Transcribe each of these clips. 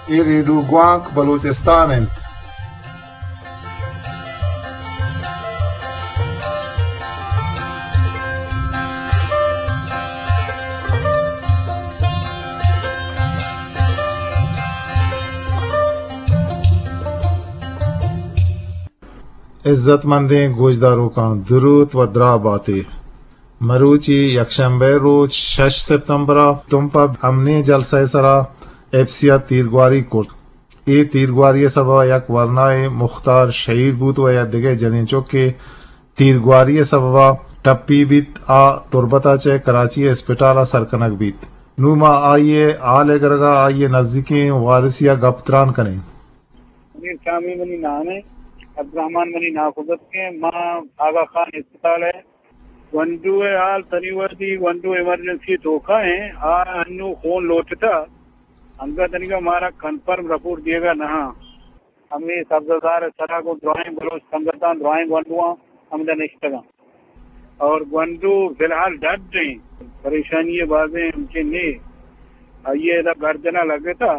اے ریڈیو گوانک بلوچستان انت۔ عزت مندیں گوشداروکاں، دروت و دراہ باتے۔ مروچی یکشنبہ ءِ روچ، شش سپتمبر ءَ، تمپ ءَ امنی جلسہ ءِ سرا ایف سی ءَ تیرگواری کرت۔ اے تیرگواری ءِ سبب ءَ یک ورنائے مختار شہید بوت و یک دگہ جنین چکے تیرگواری ءِ سبب ءَ ٹپی بیت، آ تربت ءَ چہ کراچی ءِ اسپتال ءَ سر کنگ بیت۔ نوں ما آئی ءِ حال ءِ گرگ ءَ آئی ءِ نزیکیں وارثے ءَ گپ تران کنیں۔ منیر شامی منی نام ایں، عبدالرحمن منی ناکوزتک ایں۔ ما آغا خان اسپتال ءِ گونڈو ءِ حال تنی وھدی گونڈو ایمرجنسی ءِ توکا ایں۔ آ انوں خون لوٹتا، انگت دنیگا مارا کنفرم رپورٹ دیگا نہ آں۔ ہمے سبززار ءِ سرا گوں درائیں بلوچ سنگتاں، درائیں گونڈواں ہمدا نشتگاں۔ اور گونڈو فی الحال ڈڈ ایں، پریشانی ءِ بازیں ہمچین نے۔ آئی ءِ ادا گردن ءَ لگتا،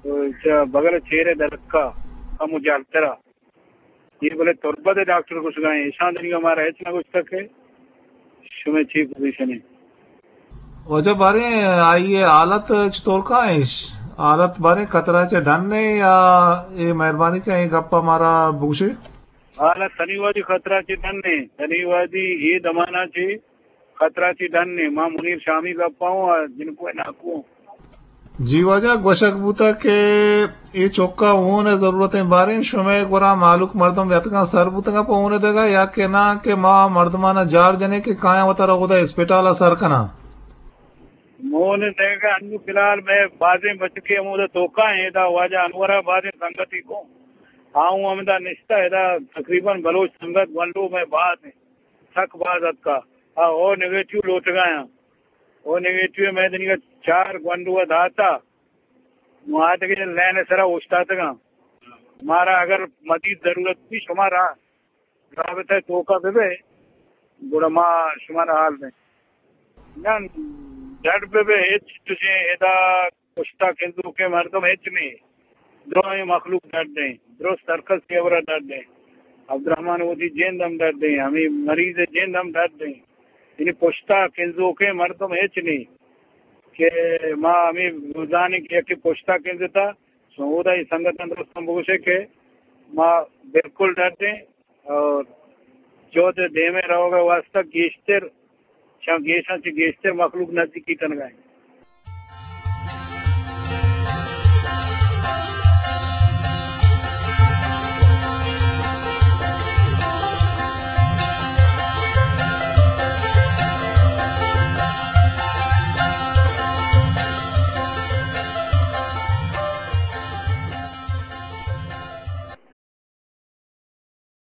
تو چہ بغل چیر ءَ درکا کمو جہلترا۔ اے بلے تربت ءِ ڈاکٹر گوشگا ایں، ایشاں دنیگا مارا ہچ نہ گوشتگ کہ شمئے چی پوزیشن ایں۔ واجہ باریں آئی ءِ حالت چطور کا ایں؟ حالت باریں خطرہ چہ ڈن ایں یا اے مہربانی کہ اے گپ ءَ مارا بگوشے؟ حالت تنی وھدی خطرہ چہ ڈن ایں، تنی وھدی اے دمانا چہ خطرہ چہ ڈن ایں۔ ما منیر شامی گپ ءَ اوں، آ جنکو ءِ ناکو اوں۔ جی واجہ، گوشگ بوتگ کہ اے چک ءَ ہون ءِ ضرورت ایں۔ باریں شمئے گورا مہلوک مردم یتگاں، سر بوتگاں پہ ہون ءِ دگہ، یا کہ ناں کہ ما مردماں جار جنیں کہ کایاں وتارا اودا اسپتال ءَ سر کناں؟ ہون ءِ دگہ انوں فی الحال مئے بازیں بچکے ہمودا توکا ایں، ادا واجہ انور ءَ بازیں سنگتی گوں آ اوں ہمدا نشتہ، ادا تقریباً بلوچ سنگت گونڈو مئے باز ایں، سک باز اتکا۔ آ او نیگیٹو لوٹگا آں۔ او نیگیٹو ءَ مئے دنیگا چار گونڈو ءَ داتا۔ نوں آ دگہ لین ءِ سرا اوشتاتگاں۔ مارا اگر مزید ضرورت بی، شما را-، رابطہ ءِ توکا بہ بئے، گڑا ما شمارا حال دیں۔ نہ، ڈڈ بہ بئے، ہچ چشیں ادا پشتا کنزوکیں مردم ہچ نیں۔ درائیں مخلوق ڈڈ ایں، درست ہرکس ءِ ہبرا ڈڈ ایں۔ عبدالرحمن ءِ وتی جند ہم ڈڈ ایں، ہمے مریض ءِ جند ہم ڈڈ ایں۔ یعنی پشتا کنزوکیں مردم ہچ نیں کہ ما ہمے زانیں کہ یکے پشتا کنزتا، سودا اے سنگتاں درستاں بگوشے کہ ما بالکل ڈڈ ایں اور چود دیم ءَ روگ ءِ واسطہ گیشتر، چہ گیشاں چہ گیشتر مخلوق نزیکی کنگا ایں۔